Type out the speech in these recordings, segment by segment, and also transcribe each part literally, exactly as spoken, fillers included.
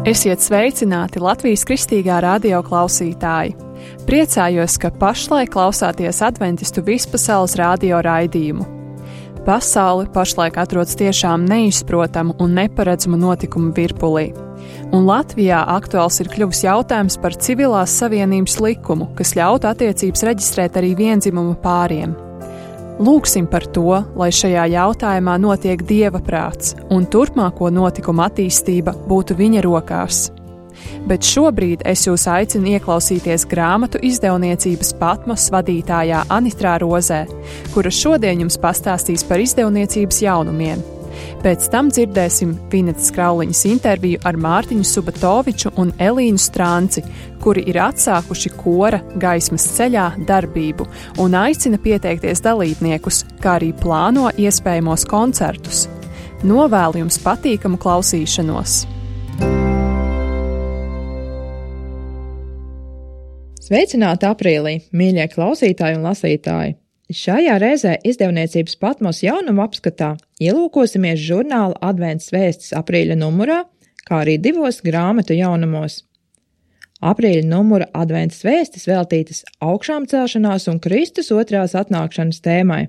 Esiet sveicināti Latvijas kristīgā radio klausītāji! Priecājos, ka pašlaik klausāties adventistu vispasaules radio raidījumu. Pasaule pašlaik atrodas tiešām neizprotamu un neparedzamu notikumu virpulī. Un Latvijā aktuāls ir kļuvis jautājums par civilās savienības likumu, kas ļautu attiecības reģistrēt arī viendzimumu pāriem. Lūgsim par to, lai šajā jautājumā notiek Dieva prāts un turpmāko notikumu attīstība būtu viņa rokās. Bet šobrīd es jūs aicinu ieklausīties grāmatu izdevniecības Patmos vadītājā Anitrā Rozē, kura šodien jums pastāstīs par izdevniecības jaunumiem. Pēc tam dzirdēsim Vinetas Krauliņas interviju ar Mārtiņu Subatoviču un Elīnu Strānci, kuri ir atsākuši kora Gaismas ceļā darbību un aicina pieteikties dalībniekus, kā arī plāno iespējamos koncertus. Novēlu jums patīkamu klausīšanos! Sveicināti aprīlī, mīļie klausītāji un lasītāji! Šajā reizē izdevniecības Patmos jaunumu apskatā ielūkosimies žurnāla Advents vēstis aprīļa numurā, kā arī divos grāmatu jaunumos. Aprīļa numura Advents vēstis veltītas augšām celšanās un Kristus otrās atnākšanas tēmai.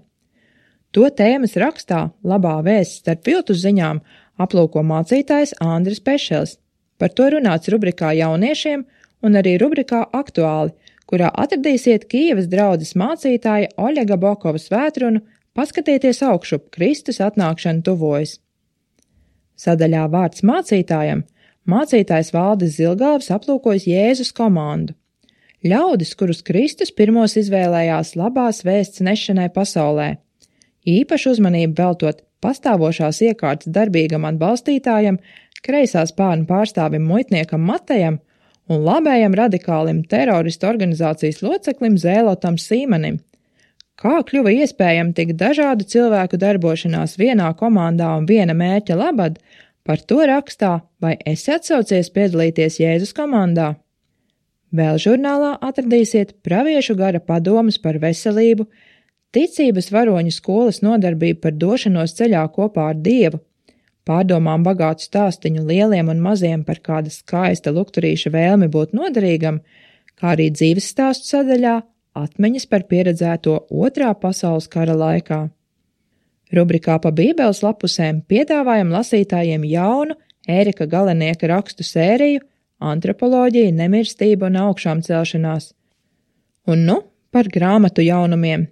To tēmas rakstā Labā vēsts starp viltus ziņām aplūko mācītājs Andris Pešels. Par to runāts rubrikā Jauniešiem un arī rubrikā Aktuāli, kurā atradīsiet Kijevas draudzes mācītāja Oļega Bokovas vētrunu Paskatieties augšup, Kristus atnākšana tuvojas. Sadaļā vārds mācītājam mācītājs Valdis Zilgalvs aplūkojas Jēzus komandu. Ļaudis, kurus Kristus pirmos izvēlējās labās vēsts nešanai pasaulē. Īpašu uzmanību veltot pastāvošās iekārtas darbīgam atbalstītājam, kreisā spārna pārstāvim muitniekam Matejam un labējam radikālim teroristu organizācijas loceklim Zēlotam Sīmanim. Kā kļuva iespējami tik dažādu cilvēku darbošanās vienā komandā un viena mērķa labad, par to rakstā Vai esi atsaucies piedalīties Jēzus komandā? Vēl žurnālā atradīsiet praviešu gara padomas par veselību, ticības varoņu skolas nodarbību par došanos ceļā kopā ar Dievu, pārdomām bagātu stāstiņu lieliem un maziem par kāda skaista lukturīša vēlmi būt noderīgam, kā arī dzīves stāstu sadaļā atmiņas par pieredzēto otrā pasaules kara laikā. Rubrikā pa Bībeles lapusēm piedāvājam lasītājiem jaunu Ērika Galenieka rakstu sēriju Antropoloģija, nemirstība un augšām celšanās. Un nu par grāmatu jaunumiem.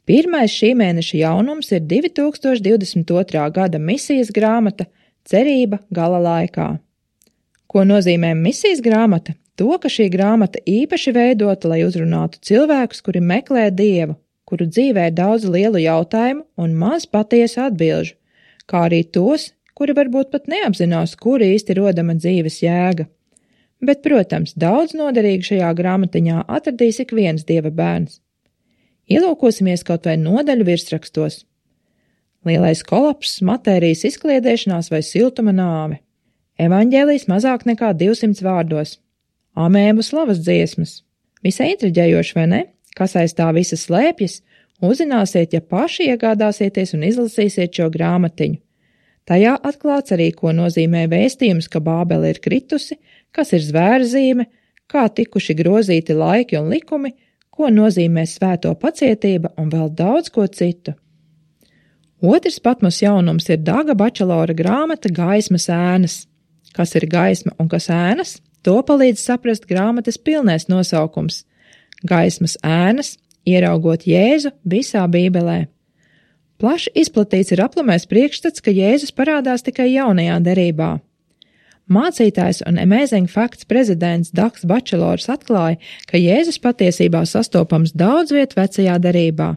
Pirmais šī mēneša jaunums ir divi tūkstoši divdesmit otrā gada misijas grāmata Cerība gala laikā. Ko nozīmē misijas grāmata? To, ka šī grāmata īpaši veidota, lai uzrunātu cilvēkus, kuri meklē Dievu, kuru dzīvē ir daudz lielu jautājumu un maz patiesu atbilžu, kā arī tos, kuri varbūt pat neapzinās, kur īsti rodama dzīves jēga. Bet, protams, daudz noderīgi šajā grāmatiņā atradīs ik viens Dieva bērns. Ielūkosimies kaut vai nodaļu virsrakstos. Lielais kolapss, matērijas izkliedēšanās vai siltuma nāve. Evaņģēlijs mazāk nekā divsimts vārdos. Amēbu slavas dziesmas. Visai intriģējoši, vai ne? Kas aiz tā visa slēpjas, uzzināsiet, ja paši iegādāsieties un izlasīsiet šo grāmatiņu. Tajā atklāts arī, ko nozīmē vēstījums, ka Bābele ir kritusi, kas ir zvērzīme, kā tikuši grozīti laiki un likumi, ko nozīmē svēto pacietība un vēl daudz ko citu. Otrs Patmos jaunums ir Daga Bačelora grāmata Gaismas ēnas. Kas ir gaisma un kas ēnas? To palīdz saprast grāmatas pilnais nosaukums – Gaismas ēnas, ieraugot Jēzu visā Bībelē. Plaši izplatīts ir aplamais priekšstats, ka Jēzus parādās tikai jaunajā derībā. Mācītājs un Amazing Facts prezidents Dags Bačelors atklāja, ka Jēzus patiesībā sastopams daudz viet vecajā derībā.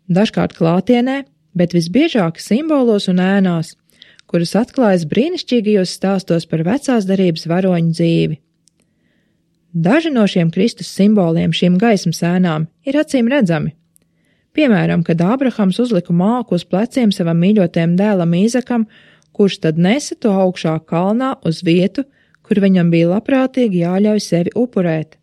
Dažkārt klātienē, bet visbiežāk simbolos un ēnās, kuras atklājas brīnišķīgajos stāstos par vecās derības varoņu dzīvi. Daži no šiem Kristus simboliem, šīm gaismas ēnām, ir acīm redzami. Piemēram, kad Ābrahams uzlika māku uz pleciem savam mīļotajam dēlam Īzakam, kurš tad nesa to augšā kalnā uz vietu, kur viņam bija labprātīgi jāļauj sevi upurēt.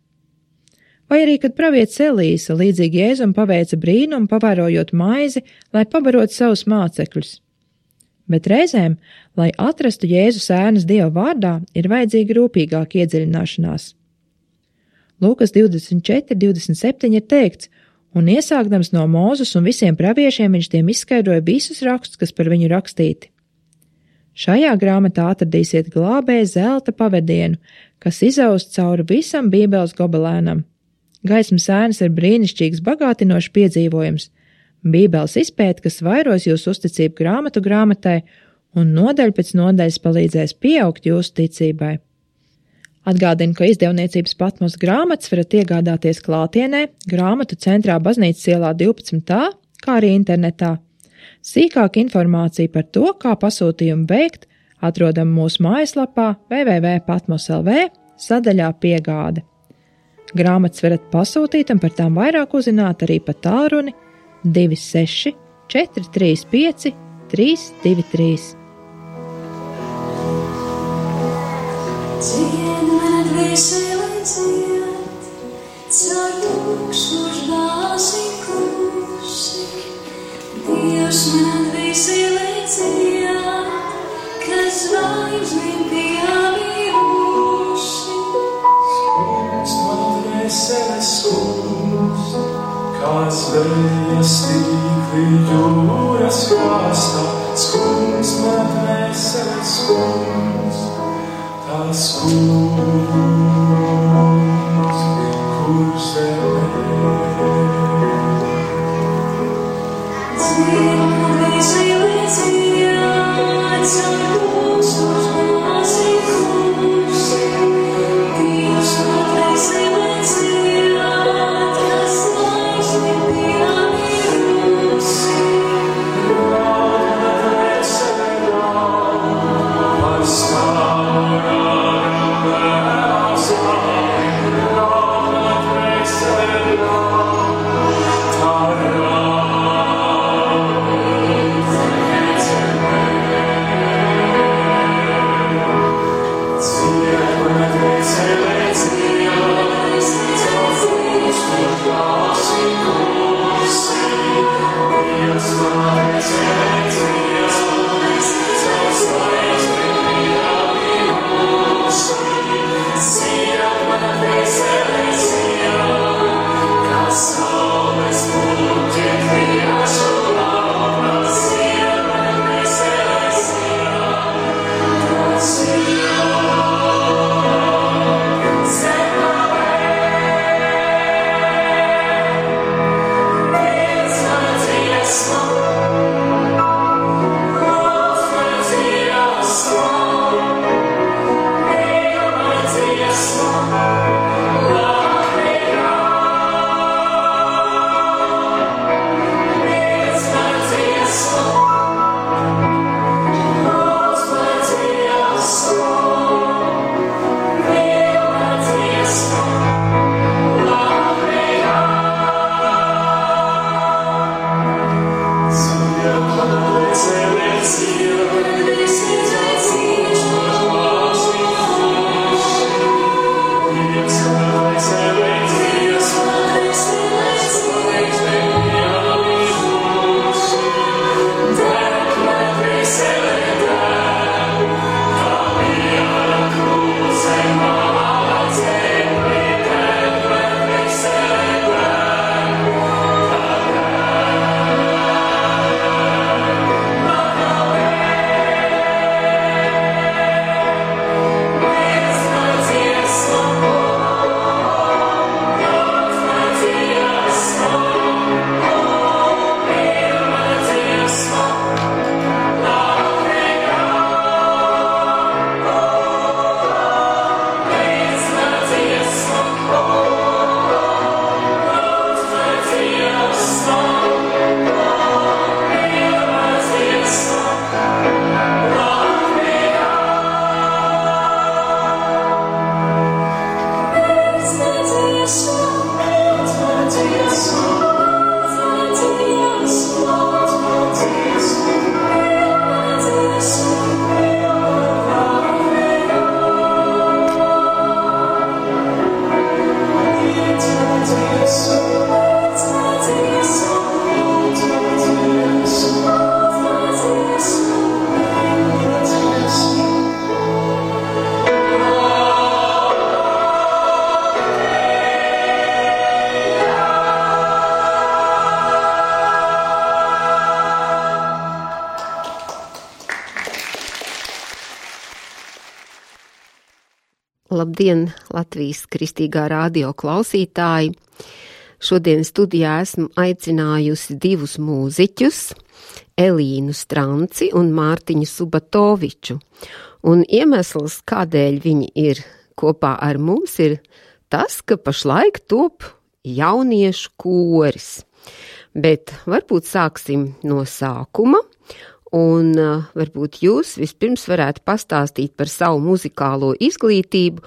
Vai arī, kad pravietis Elīsa līdzīgi Jēzum paveica brīnumu, pavērojot maizi, lai pabarot savus mācekļus. bet reizēm, lai atrastu Jēzus ēnas Dieva vārdā, ir vajadzīga rūpīgāka iedziļināšanās. Lūkas divdesmit četri divdesmit septiņi ir teikts, un iesākdams no Mūzes un visiem praviešiem viņš tiem izskaidroja visus rakstus, kas par viņu rakstīti. Šajā grāmatā atradīsiet glābēja zelta pavedienu, kas izaust cauri visam Bībeles gobelēnam. Gaismas ēnas ir brīnišķīgs, bagātinošs piedzīvojums, Bībeles izpēte, kas vairos jūsu uzticību grāmatu grāmatai un nodaļa pēc nodaļas palīdzēs pieaugt jūsu ticībai. Atgādinu, ka izdevniecības Patmos grāmatas varat iegādāties klātienē, grāmatu centrā Baznīcas ielā divpadsmit A, kā arī internetā. Sīkāka informācija par to, kā pasūtījumu veikt, atrodam mūsu mājaslapā w w w punkt patmos punkt l v sadaļā piegāde. Grāmatas varat pasūtīt un par tām vairāk uzzināt arī pa tālruni divi seši četri trīs pieci trīs divi trīs. Dzied man dvēseli dzied, caur tūkstoš dāsi klusi. Dievs man dvēseli dzied, kas zvaigznēm pievirusi. Skunds man dvēseli skunds, kā zvejas tīkli jūras krastā. Skunds man dvēseli skunds, tas kungs, kur zemē. Dzied man dvēseli dzied, caur tūkstoš dāsi klusi. Dievs man dvēseli dzied, kas zvaigznēm pievirusi. Pastāv Labdien, Latvijas Kristīgā radio klausītāji! Šodien studijā esmu aicinājusi divus mūziķus, Elīnu Stranci un Mārtiņu Subatoviču. Un iemesls, kādēļ viņi ir kopā ar mums, ir tas, ka pašlaik top jauniešu koris. Bet varbūt sāksim no sākuma. Un uh, varbūt jūs vispirms varētu pastāstīt par savu muzikālo izglītību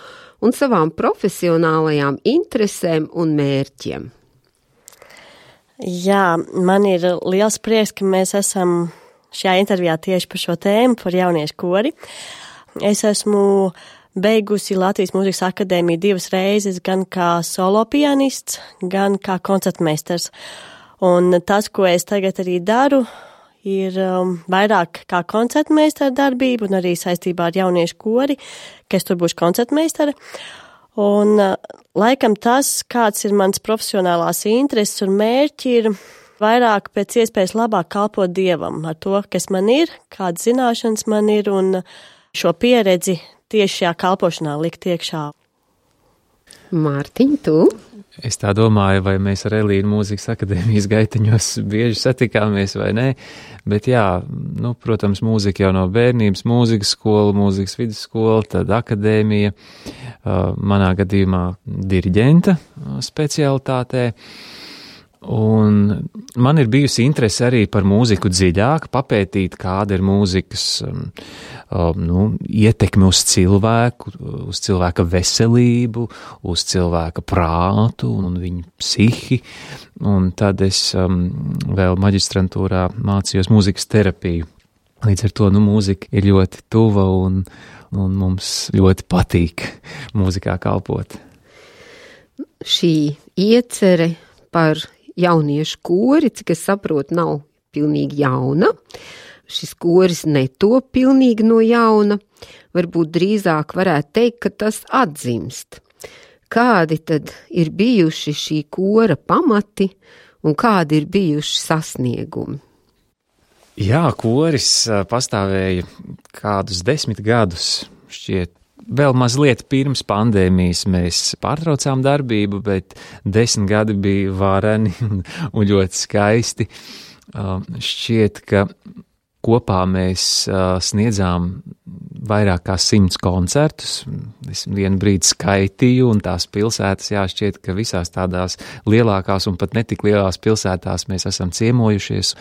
un savām profesionālajām interesēm un mērķiem. Jā, man ir liels prieks, ka mēs esam šajā intervijā tieši par šo tēmu, par jauniešu kori. Es esmu beigusi Latvijas Mūzikas akadēmiju divas reizes, gan kā solo pianists, gan kā koncertmeistars. Un tas, ko es tagad arī daru, ir um, vairāk kā koncertmeistara darbība un arī saistībā ar jauniešu kori, ka es tur būšu koncertmeistara. Un uh, laikam tas, kāds ir mans profesionālās intereses un mērķi, ir vairāk pēc iespējas labāk kalpot Dievam ar to, kas man ir, kādas zināšanas man ir un šo pieredzi tieši šajā kalpošanā likt iekšā. Mārtiņ, tu? Es tā domāju, vai mēs ar Elīnu Mūzikas akadēmijas gaiteņos bieži satikāmies vai nē, bet jā, nu, protams, mūzika jau no bērnības, mūzikas skola, mūzikas vidusskola, tad akadēmija, manā gadījumā diriģenta specialitātē. Un man ir bijusi interese arī par mūziku dziļāk, papētīt, kāda ir mūzikas um, nu, ietekme uz cilvēku, uz cilvēka veselību, uz cilvēka prātu un viņu psihi. Un tad es um, vēl maģistrantūrā mācījos mūzikas terapiju. Līdz ar to, nu, mūzika ir ļoti tuva un, un mums ļoti patīk mūzikā kalpot. Šī iecere par jauniešu kori, cik es saprotu, nav pilnīgi jauna. Šis koris netop pilnīgi no jauna. Varbūt drīzāk varētu teikt, ka tas atzimst. Kādi tad ir bijuši šī kora pamati un kādi ir bijuši sasniegumi? Jā, koris pastāvēja kādus desmit gadus, šķiet. Vēl mazliet pirms pandēmijas mēs pārtraucām darbību, bet desmit gadi bija vareni un ļoti skaisti. Šķiet, ka kopā mēs sniedzām vairāk kā simts koncertus. Es vienu brīdi skaitīju, un tās pilsētas, jā, šķiet, ka visās tādās lielākās un pat netik lielās pilsētās mēs esam ciemojušies.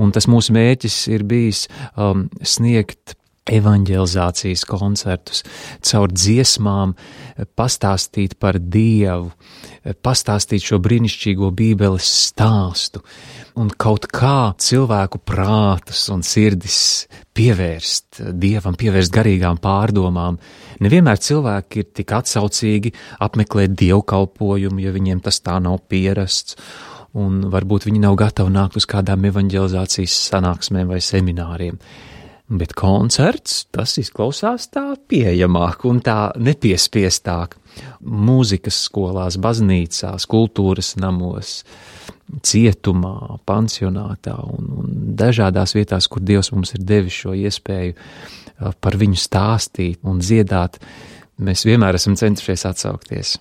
Un tas mūsu mērķis ir bijis um, sniegt evanģelizācijas koncertus, caur dziesmām pastāstīt par Dievu, pastāstīt šo brīnišķīgo Bībeles stāstu un kaut kā cilvēku prātus un sirdis pievērst Dievam, pievērst garīgām pārdomām. Nevienmēr cilvēki ir tik atsaucīgi apmeklēt dievkalpojumu, ja viņiem tas tā nav pierasts, un varbūt viņi nav gatavi nākt uz kādām evanģelizācijas sanāksmēm vai semināriem. Bet koncerts, tas izklausās tā pieejamāk un tā nepiespiestāk. Mūzikas skolās, baznīcās, kultūras namos, cietumā, pansionātā un, un dažādās vietās, kur Dievs mums ir devis šo iespēju par viņu stāstīt un dziedāt, mēs vienmēr esam centušies atsaukties.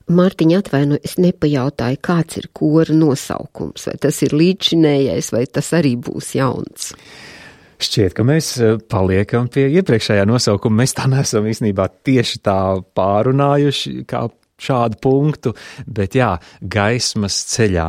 Mārtiņa, atvaino, es nepajautāju, kāds ir kora nosaukums, vai tas ir līdzšinējais, vai tas arī būs jauns? Šķiet, ka mēs paliekam pie iepriekšējā nosaukuma. Mēs tā neesam īstenībā tieši tā pārunājuši kā šādu punktu, bet jā, gaismas ceļā.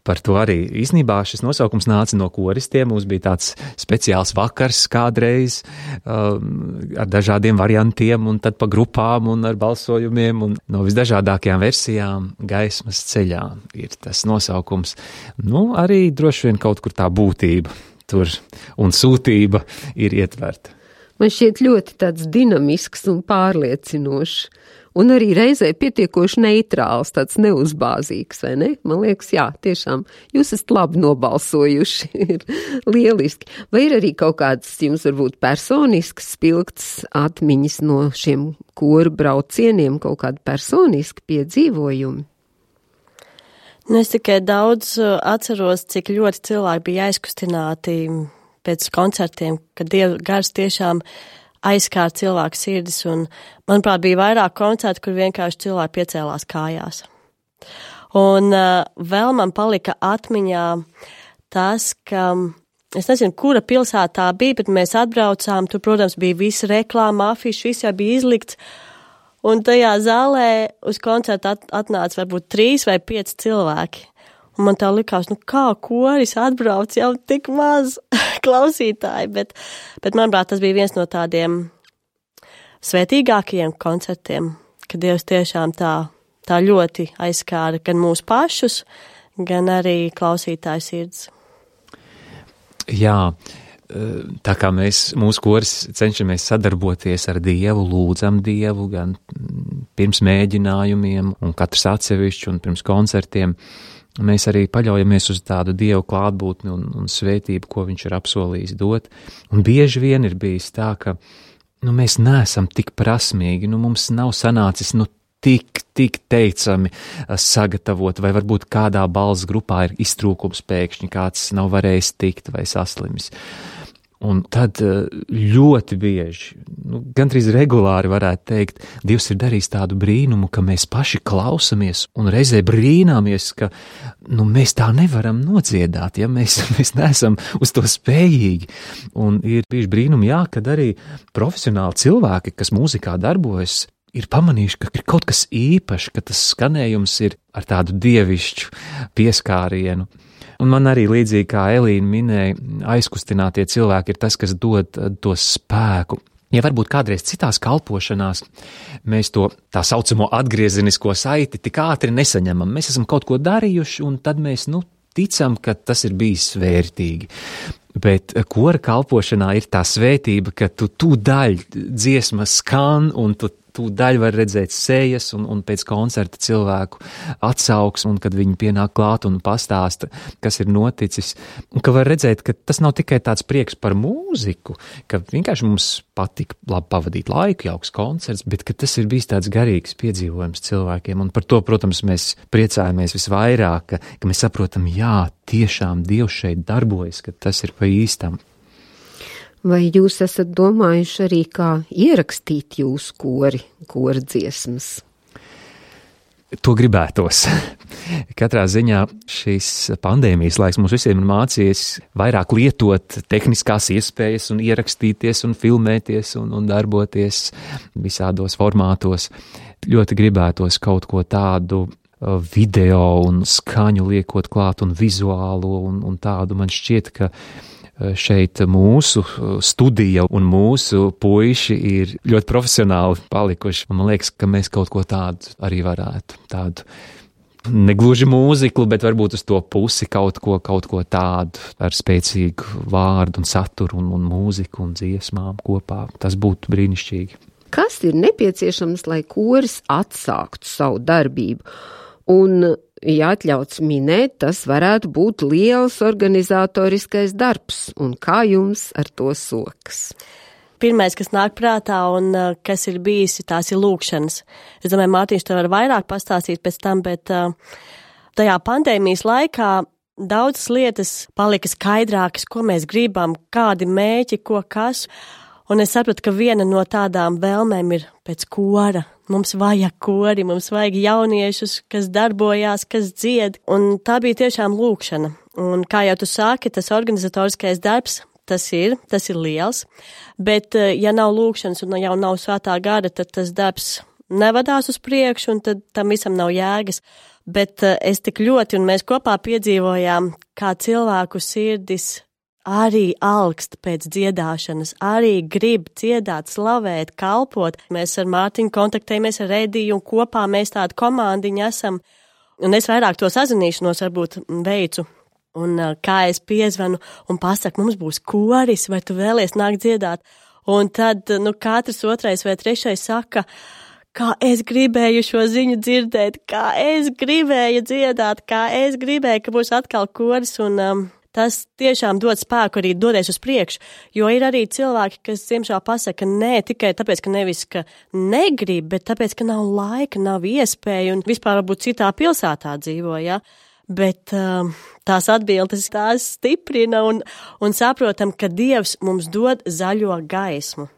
Par to arī īstenībā šis nosaukums nāca no koristiem. Mums bija tāds speciāls vakars kādreiz um, ar dažādiem variantiem un tad pa grupām un ar balsojumiem un no visdažādākajām versijām gaismas ceļā ir tas nosaukums. Nu, arī droši vien kaut kur tā būtība tur un sūtība ir ietverta. Man šķiet ļoti tāds dinamisks un pārliecinošs, un arī reizē pietiekoši neitrāls, tāds neuzbāzīgs, vai ne? Man liekas, jā, tiešām, jūs esat labi nobalsojuši, ir lieliski. Vai ir arī kaut kāds jums varbūt personisks spilgts atmiņas no šiem koru braucieniem, kaut kādi personiski piedzīvojumi? Nu, es tikai daudz atceros, cik ļoti cilvēki bija aizkustināti pēc koncertiem, kad Dieva gars tiešām aizskārt cilvēku sirdis, un, manuprāt, bija vairāk koncertu, kur vienkārši cilvēki piecēlās kājās. Un uh, vēl man palika atmiņā tas, ka es nezinu, kura pilsētā bija, bet mēs atbraucām, tur, protams, bija visa reklāma, afiši, viss jau bija izlikts, un tajā zālē uz koncertu at, atnāca varbūt trīs vai pieci cilvēki. Un man tā likās, nu kā koris atbrauc jau tik maz klausītāji, bet, bet manuprāt, tas bija viens no tādiem svētīgākajiem koncertiem, kad Dievs tiešām tā, tā ļoti aizskāra gan mūsu pašus, gan arī klausītāju sirds. Jā, tā kā mēs, mūsu koris cenšamies sadarboties ar Dievu, lūdzam Dievu, gan pirms mēģinājumiem, un katrs atsevišķi, un pirms koncertiem, mēs arī paļaujamies uz tādu Dievu klātbūtni un, un svētību, ko viņš ir apsolījis dot. Un bieži vien ir bijis tā, ka nu, mēs neesam tik prasmīgi, nu, mums nav sanācis nu, tik, tik teicami sagatavot, vai varbūt kādā balss grupā ir iztrūkums pēkšņi, kāds nav varējis tikt vai saslimis. Un tad ļoti bieži, nu, gandrīz regulāri varētu teikt, Dievs ir darījis tādu brīnumu, ka mēs paši klausamies un reizē brīnāmies, ka nu, mēs tā nevaram nodziedāt, ja mēs, mēs neesam uz to spējīgi. Un ir bijuši brīnumi, jā, kad arī profesionāli cilvēki, kas mūzikā darbojas, ir pamanījuši, ka ir kaut kas īpašs, ka tas skanējums ir ar tādu dievišķu pieskārienu. Un man arī līdzīgi kā Elīna minēja, aizkustinātie cilvēki ir tas, kas dod to spēku. Ja varbūt kādreiz citās kalpošanās mēs to tā saucamo atgriezenisko saiti tik ātri nesaņemam, mēs esam kaut ko darījuši un tad mēs, nu, ticam, ka tas ir bijis svērtīgi. Bet kora kalpošanā ir tā svētība, ka tu tūdaļ dziesma skan un tu tūdaļ var redzēt sejas un, un pēc koncerta cilvēku atsauks, un kad viņi pienāk klāt un pastāsta, kas ir noticis. Un ka var redzēt, ka tas nav tikai tāds prieks par mūziku, ka vienkārši mums patika labi pavadīt laiku, jauks koncerts, bet ka tas ir bijis tāds garīgs piedzīvojums cilvēkiem. Un par to, protams, mēs priecājamies visvairāk, ka, ka mēs saprotam, jā, tiešām Dievs šeit darbojas, ka tas ir pa īstam. Vai jūs esat domājuši arī, kā ierakstīt jūsu kori, kora dziesmas? To gribētos. Katrā ziņā šīs pandēmijas laiks mums visiem ir mācījies vairāk lietot tehniskās iespējas un ierakstīties un filmēties un, un darboties visādos formātos. Ļoti gribētos kaut ko tādu video un skaņu liekot klāt un vizuālo un, un tādu. Man šķiet, ka šeit mūsu studija un mūsu puiši ir ļoti profesionāli palikuši. Man liekas, ka mēs kaut ko tādu arī varētu. Tādu negluži mūziklu, bet varbūt uz to pusi kaut ko, kaut ko tādu ar spēcīgu vārdu un saturu un, un mūziku un dziesmām kopā. Tas būtu brīnišķīgi. Kas ir nepieciešams, lai koris atsāktu savu darbību? Un, ja atļauts minēt, tas varētu būt liels organizatoriskais darbs, un kā jums ar to sokas? Pirmais, kas nāk prātā un uh, kas ir bijis, tās ir lūkšanas. Es domāju, Mārtiņš tev var vairāk pastāstīt pēc tam, bet uh, tajā pandēmijas laikā daudzas lietas palika skaidrākas, ko mēs gribam, kādi mēķi, ko kas. Un es sapratu, ka viena no tādām vēlmēm ir pēc kora. Mums vajag kori, mums vajag jauniešus, kas darbojās, kas dzied. Un tā bija tiešām lūkšana. Un kā jau tu sāki, tas organizatoriskais darbs, tas ir, tas ir liels. Bet ja nav lūkšanas un jau nav svētā gara, tad tas darbs nevadās uz priekšu un tad tam visam nav jēgas. Bet es tik ļoti, un mēs kopā piedzīvojām, kā cilvēku sirdis arī alkst pēc dziedāšanas, arī grib dziedāt, slavēt, kalpot. Mēs ar Mārtiņu kontaktējamies ar Ediju un kopā mēs tādu komandiņu esam. Un es vairāk to sazināšanos varbūt veicu. Un kā es piezvanu un pasaku, mums būs koris, vai tu vēlies nākt dziedāt. Un tad, nu, katrs otrais vai trešais saka, kā es gribēju šo ziņu dzirdēt, kā es gribēju dziedāt, kā es gribēju, ka būs atkal koris un um, tas tiešām dod spēku arī doties uz priekšu, jo ir arī cilvēki, kas diemžēl pasaka nē tikai tāpēc, ka nevis, ka negrib, bet tāpēc, ka nav laika, nav iespēja un vispār varbūt citā pilsētā dzīvo, ja? Bet um, tās atbildes tās stiprina un, un saprotam, ka Dievs mums dod zaļo gaismu.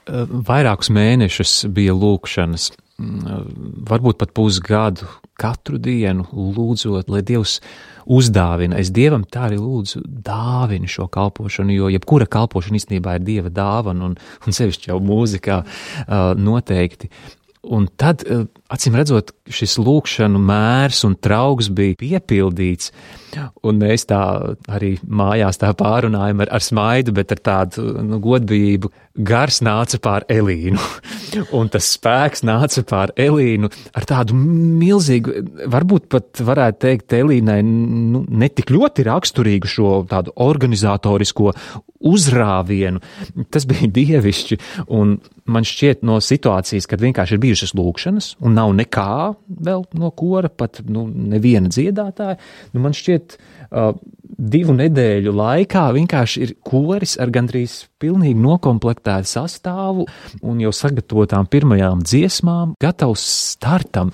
Vairākus mēnešus bija lūkšanas, varbūt pat pusgadu, katru dienu lūdzot, lai Dievs uzdāvina. Es Dievam tā arī lūdzu dāvinu šo kalpošanu, jo jebkura kalpošana īstenībā ir Dieva dāvana, un, un sevišķi jau mūzikā noteikti. Un tad, acīm redzot, šis lūkšanu mērs un trauks bija piepildīts, un mēs tā arī mājās tā pārunājam ar, ar smaidu, bet ar tādu nu, godbijību. Gars nāca pār Elīnu, un tas spēks nāca pār Elīnu ar tādu milzīgu, varbūt pat varētu teikt Elīnai, nu, ne tik ļoti raksturīgu šo tādu organizatorisko uzrāvienu. Tas bija dievišķi, un man šķiet no situācijas, kad vienkārši ir bijušas lūkšanas, un nav nekā vēl no kora, pat nu, neviena dziedātāja, nu, man šķiet uh, divu nedēļu laikā vienkārši ir koris ar gandrīz pilnīgi nokomplektētu sastāvu un jau sagatavotām pirmajām dziesmām, gatavs startam.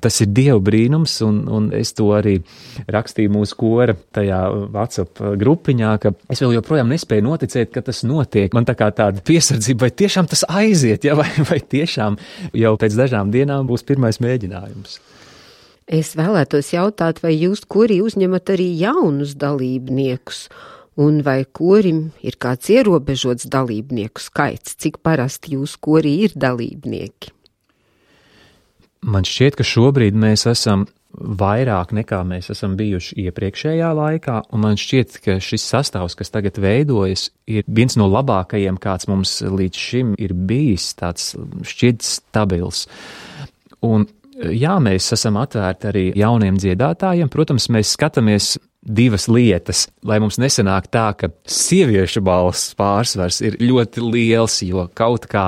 Tas ir Dieva brīnums, un, un es to arī rakstīju mūsu kora tajā WhatsApp grupiņā, ka es vēl joprojām nespēju noticēt, ka tas notiek. Man tā kā tāda piesardzība, vai tiešām tas aiziet, ja, vai, vai tiešām jau pēc dažām dienām būs pirmais mēģinājums. Es vēlētos jautāt, vai jūs korī uzņemat arī jaunus dalībniekus, un vai korim ir kāds ierobežots dalībnieku skaits, cik parasti jūs korī ir dalībnieki? Man šķiet, ka šobrīd mēs esam vairāk nekā mēs esam bijuši iepriekšējā laikā, un man šķiet, ka šis sastāvs, kas tagad veidojas, ir viens no labākajiem, kāds mums līdz šim ir bijis, tāds šķiet stabils. Un jā, mēs esam atvērti arī jauniem dziedātājiem. Protams, mēs skatāmies divas lietas, lai mums nesanāk tā, ka sieviešu balss pārsvars ir ļoti liels, jo kaut kā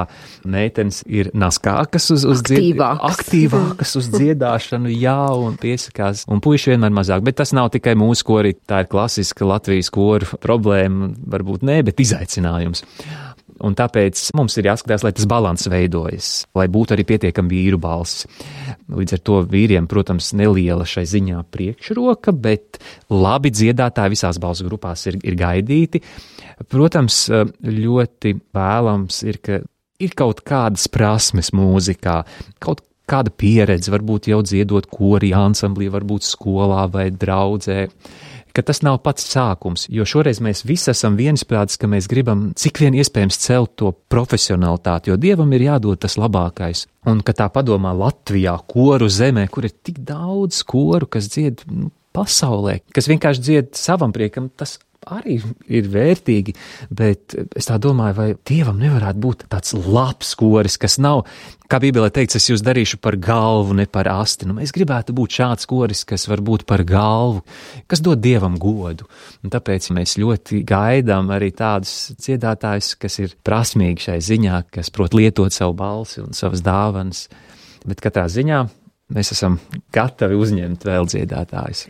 meitenes ir naskākas uz, uz, dzied... aktīvākas uz dziedāšanu, jā, un piesakās, un puiši vienmēr mazāk. Bet tas nav tikai mūsu kori, tā ir klasiska Latvijas koru problēma, varbūt ne, bet izaicinājums. Un tāpēc mums ir jāskatās, lai tas balans veidojas, lai būtu arī pietiekami vīru balss. Līdz ar to vīriem, protams, neliela šai ziņā priekšroka, bet labi dziedātāji visās balsu grupās ir, ir gaidīti. Protams, ļoti vēlams ir, ka ir kaut kādas prasmes mūzikā, kaut kāda pieredze, varbūt jau dziedot kori ansamblī, varbūt skolā vai draudzē, ka tas nav pats sākums, jo šoreiz mēs visi esam viensprātis, ka mēs gribam cik vien iespējams celt to profesionalitāti, jo Dievam ir jādod tas labākais. Un, ka tā padomā Latvijā, koru zemē, kur ir tik daudz koru, kas dzied nu, pasaulē, kas vienkārši dzied savam priekam, tas arī ir vērtīgi, bet es tā domāju, vai Dievam nevarētu būt tāds labs koris, kas nav, kā Bībelē teikts, es jūs darīšu par galvu, ne par asti. Nu, mēs gribētu būt šāds koris, kas var būt par galvu, kas dod Dievam godu. Un tāpēc mēs ļoti gaidām arī tādus dziedātājus, kas ir prasmīgi šai ziņā, kas prot lietot savu balsi un savas dāvanas. Bet katrā ziņā mēs esam gatavi uzņemt vēl dziedātājus.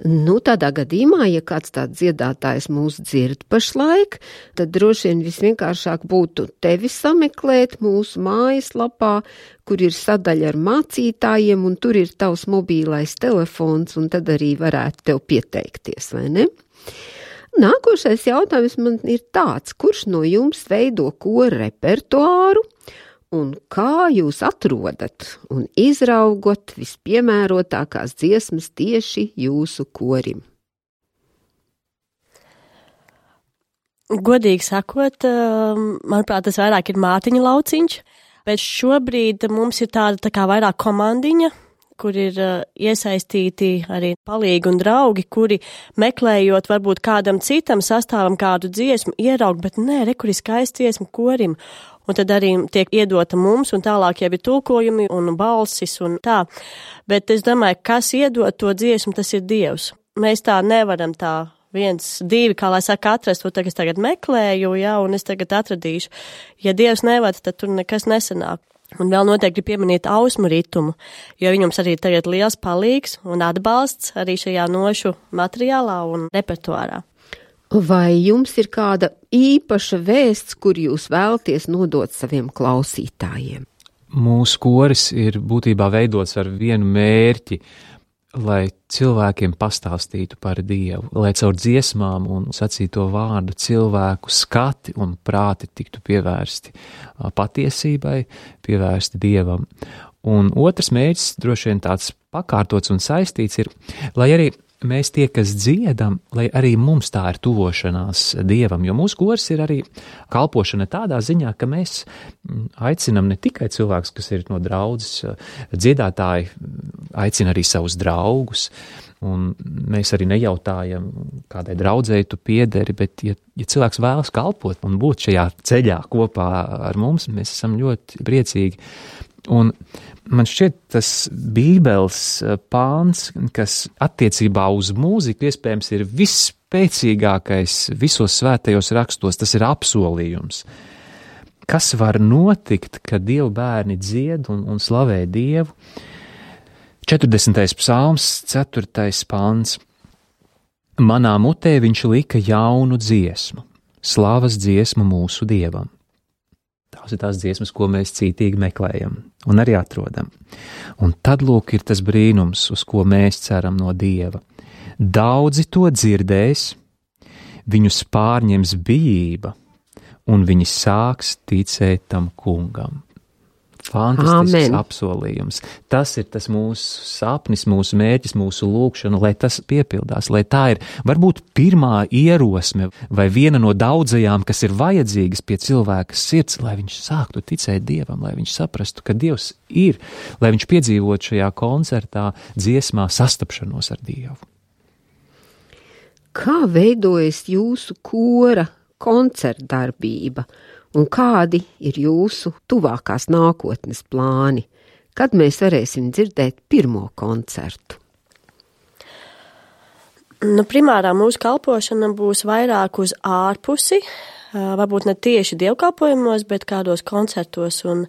Nu, tādā gadījumā, ja kāds tāds dziedātājs mūs dzird pašlaik, tad droši vien visvienkāršāk būtu tevi sameklēt mūsu mājaslapā, kur ir sadaļa ar mācītājiem, un tur ir tavs mobīlais telefons, un tad arī varētu tev pieteikties, vai ne? Nākošais jautājums man ir tāds, kurš no jums veido koru repertuāru, un kā jūs atrodat un izraugot vispiemērotākās dziesmas tieši jūsu korim? Godīgi sakot, manuprāt, tas vairāk ir Mārtiņa lauciņš, bet šobrīd mums ir tāda tā kā vairāk komandiņa, kur ir iesaistīti arī palīgi un draugi, kuri meklējot varbūt kādam citam sastāvam kādu dziesmu, ieraug, bet nē, re, kur ir skaisti dziesmu korim. Un tad arī tiek iedota mums, un tālāk jau ir tulkojumi un balsis un tā. Bet es domāju, kas iedod to dziesmu, tas ir Dievs. Mēs tā nevaram tā viens, divi, kā lai saka, atrast, to es tagad meklēju, jā, un es tagad atradīšu. Ja Dievs nevada, tad tur nekas nesanāk. Un vēl noteikti pieminēt ausmu ritumu, jo viņums arī tagad liels palīgs un atbalsts arī šajā nošu materiālā un repertuārā. Vai jums ir kāda īpaša vēsts, kur jūs vēlaties nodot saviem klausītājiem? Mūsu koris ir būtībā veidots ar vienu mērķi lai cilvēkiem pastāstītu par Dievu, lai caur dziesmām un sacīto vārdu cilvēku skati un prāti tiktu pievērsti patiesībai, pievērsti Dievam. Un otrs mērķis, droši vien tāds pakārtots un saistīts, ir, lai arī mēs tie, kas dziedam, lai arī mums tā ir tuvošanās Dievam, jo mūsu koris ir arī kalpošana tādā ziņā, ka mēs aicinam ne tikai cilvēkus, kas ir no draudzes, dziedātāji aicina arī savus draugus, un mēs arī nejautājam, kādai draudzēji tu piederi, bet ja, ja cilvēks vēlas kalpot un būt šajā ceļā kopā ar mums, mēs esam ļoti priecīgi. Un man šķiet tas Bībeles pāns, kas attiecībā uz mūziku iespējams ir visspēcīgākais visos svētajos rakstos, tas ir apsolījums. Kas var notikt, kad Dieva bērni dzied un, un slavē Dievu? četrdesmitais psalms, ceturtais pāns. Manā mutē viņš lika jaunu dziesmu, slavas dziesmu mūsu Dievam. Tās ir tās dziesmas, ko mēs cītīgi meklējam un arī atrodam. Un tad lūk ir tas brīnums, uz ko mēs ceram no Dieva. Daudzi to dzirdēs, viņus pārņems bijība, un viņi sāks ticēt tam kungam. Fantastisks Amen. Apsolījums. Tas ir tas mūsu sapnis, mūsu mērķis, mūsu lūkšana, lai tas piepildās, lai tā ir varbūt pirmā ierosme vai viena no daudzajām, kas ir vajadzīgas pie cilvēka sirds, lai viņš sāktu ticēt Dievam, lai viņš saprastu, ka Dievs ir, lai viņš piedzīvot šajā koncertā, dziesmā sastapšanos ar Dievu. Kā veidojas jūsu kora koncertdarbība? Un kādi ir jūsu tuvākās nākotnes plāni? Kad mēs varēsim dzirdēt pirmo koncertu? Nu, primārā mūsu kalpošana būs vairāk uz ārpusi, varbūt ne tieši dievkalpojumos, bet kādos koncertos. Un,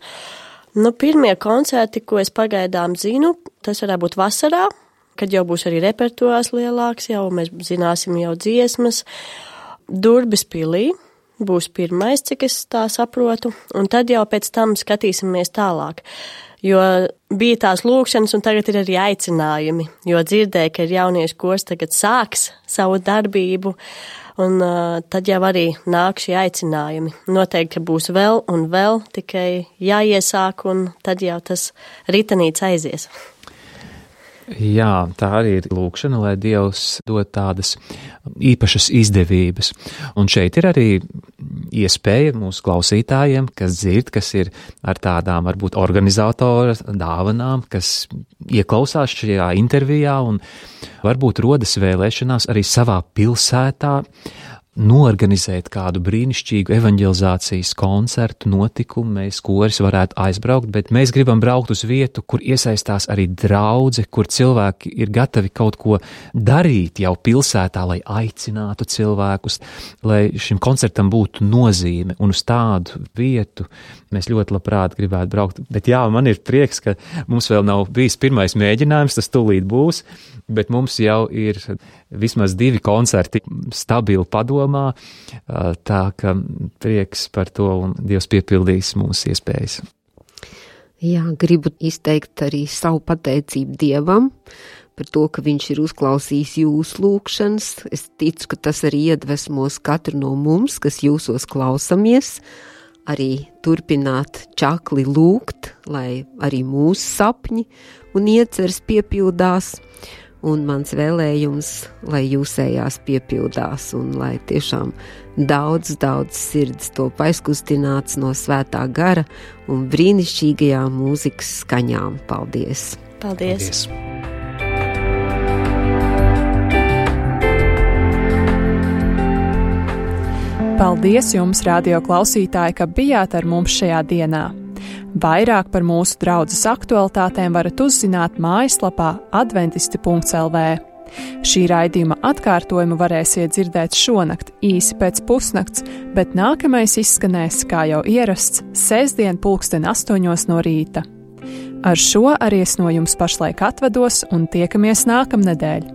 nu, pirmie koncerti, ko es pagaidām zinu, tas varētu būt vasarā, kad jau būs arī repertuārs lielāks, jau mēs zināsim jau dziesmas, Durbes pilī. Būs pirmais, cik es tā saprotu, un tad jau pēc tam skatīsimies tālāk. Jo bija tās lūkšanas, un tagad ir arī aicinājumi, jo dzirdēju, ka ir jauniešu kors tagad sāks savu darbību, un uh, tad jau arī nāk šie aicinājumi. Noteikti, ka būs vēl un vēl, tikai jāiesāk, un tad jau tas ritanīts aizies. Jā, tā arī ir lūkšana, lai Dievs dod tādas īpašas izdevības. Un šeit ir arī iespēja mūsu klausītājiem, kas dzird, kas ir ar tādām varbūt organizatora dāvanām, kas ieklausās šajā intervijā un varbūt rodas vēlēšanās arī savā pilsētā norganizēt kādu brīnišķīgu evanģelizācijas koncertu, notikumu, mēs koris varētu aizbraukt, bet mēs gribam braukt uz vietu, kur iesaistās arī draudze, kur cilvēki ir gatavi kaut ko darīt jau pilsētā, lai aicinātu cilvēkus, lai šim koncertam būtu nozīme, un uz tādu vietu mēs ļoti labprāt gribētu braukt. Bet jā, man ir prieks, ka mums vēl nav bijis pirmais mēģinājums, tas tūlīt būs, bet mums jau ir vismaz divi koncerti stabili padomā, tā ka prieks par to un Dievs piepildīs mūsu iespējas. Jā, gribu izteikt arī savu pateicību Dievam par to, ka viņš ir uzklausījis jūsu lūkšanas. Es ticu, ka tas arī iedvesmos katru no mums, kas jūsos klausamies, arī turpināt čakli lūgt, lai arī mūsu sapņi un ieceres piepildās. Un mans vēlējums, lai jūsējās piepildās un lai tiešām daudz, daudz sirds top aizkustināts no svētā gara un brīnišķīgajām mūzikas skaņām. Paldies! Paldies! Paldies. Paldies jums, radio klausītāji, ka bijāt ar mums šajā dienā. Vairāk par mūsu draudzes aktualitātēm varat uzzināt mājaslapā adventisti punkts el vē. Šī raidījuma atkārtojumu varēsiet dzirdēt šonakt īsi pēc pusnakts, bet nākamais izskanēs, kā jau ierasts, sestdien pulksten astoņos no rīta. Ar šo arī es no jums pašlaik atvados un tiekamies nākamnedēļ.